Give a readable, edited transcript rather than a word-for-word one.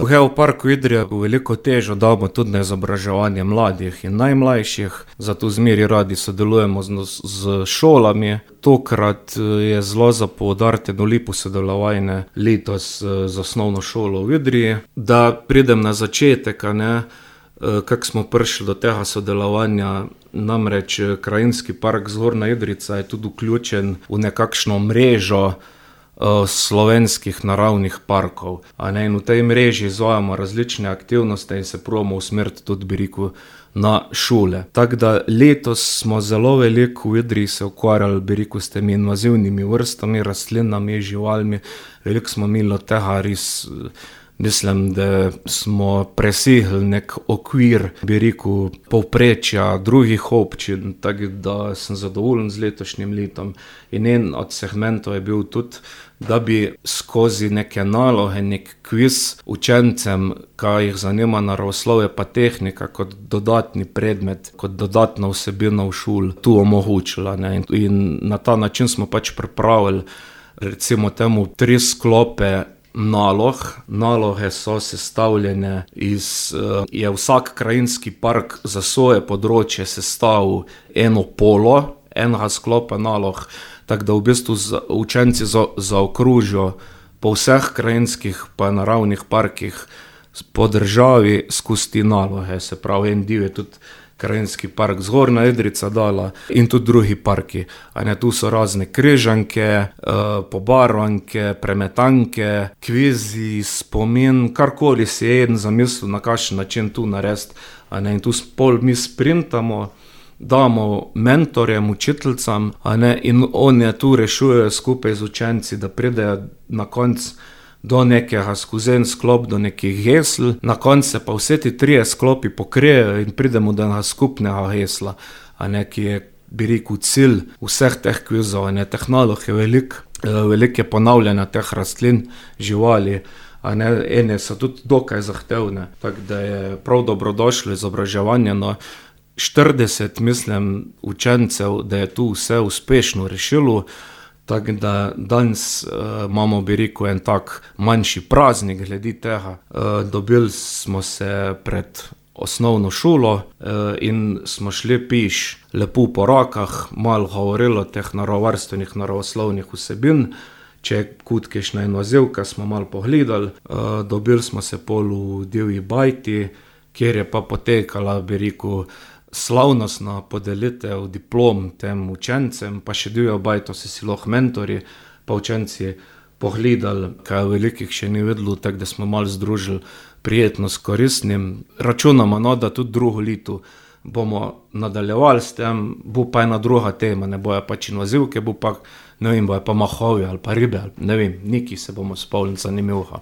V Geoparku Idrija veliko težo damo tudi na izobraževanje mladih in najmlajših, zato zmeri radi sodelujemo z šolami. Tokrat je zelo za poudariti eno lepo sodelovanje letos z osnovno šolo v Idriji. Da pridem na začetek, kako smo prišli do tega sodelovanja, namreč Krajinski park Zgornja Idrijca je tudi vključen v nekakšno mrežo slovenskih naravnih parkov. In v tej mreži izvajamo različne aktivnosti in se probamo usmeriti tudi, bi rekel, na šole. Tako da letos smo zelo veliko v Idriji se ukvarjali, bi rekel, s temi invazivnimi vrstami, rastlinami, živalmi. Veliko smo imeli od tega res. Mislim, da smo presegli nek okvir, bi rekel, povprečja drugih občin, tako da sem zadovoljen z letošnjim letom. In en od segmentov je bil tudi, da bi skozi neke naloge, nek kviz učencem, ki jih zanima naravoslovje pa tehnika, kot dodatni predmet, kot dodatna vsebina v šoli, tu omogočila. In na ta način smo pač pripravili, recimo temu, 3 sklope nalog. Naloge so sestavljene je vsak krajinski park za svoje področje sestavil eno polo, enega sklopa nalog, tako da v bistvu učenci zaokrožijo po vseh krajinskih pa naravnih parkih po državi skozi te naloge. Se pravi, en del je tudi Krajinski park Zgornja Idrijca dala in tudi drugi parki. Tu so razne križanke, pobarvanke, premetanke, kvizi, spomin, karkoli si je en zamislil, na kakšen način tu narediti. In tu pol mi sprintamo, damo mentorjem, učiteljcam, in oni tu rešujejo skupaj z učenci, da pridejo na konec do nekega skozi en sklop, do nekih gesl. Na koncu se pa vse ti 3 sklopi pokrijejo in pridemo do enega skupnega gesla, ki je, bi rekel, cilj vseh teh kvizov. Teh nalog je veliko je ponavljanja teh rastlin, živali, ene so tudi dokaj zahtevne, tako da je prav dobrodošlo izobraževanje. 40, mislim, učencev, da je tu vse uspešno rešilo. Tako da danes imamo, bi rekel, en tak manjši praznik glede tega. Dobili smo se pred osnovno šolo in smo šli peš lepo po rokah, malo govorili o teh naravovarstvenih, naravoslovnih vsebin. Če je kot kakšna invazivka, smo malo pogledali. Dobili smo se pol v divji bajti, kjer je pa potekala, bi rekel, slavnostna podelitev diplom tem učencem, pa še divjo bajto si lahko mentorji pa učenci pogledali, kaj velikih še ni vedelo, tako da smo malo združili prijetno s koristnim. Računamo, da tudi drugo leto bomo nadaljevali s tem, bo pa ena druga tema, ne bojo pač invazivke, bo pa, ne vem, bojo pa mahovi ali pa ribe, ali ne vem, neki se bomo spomnili zanimivega.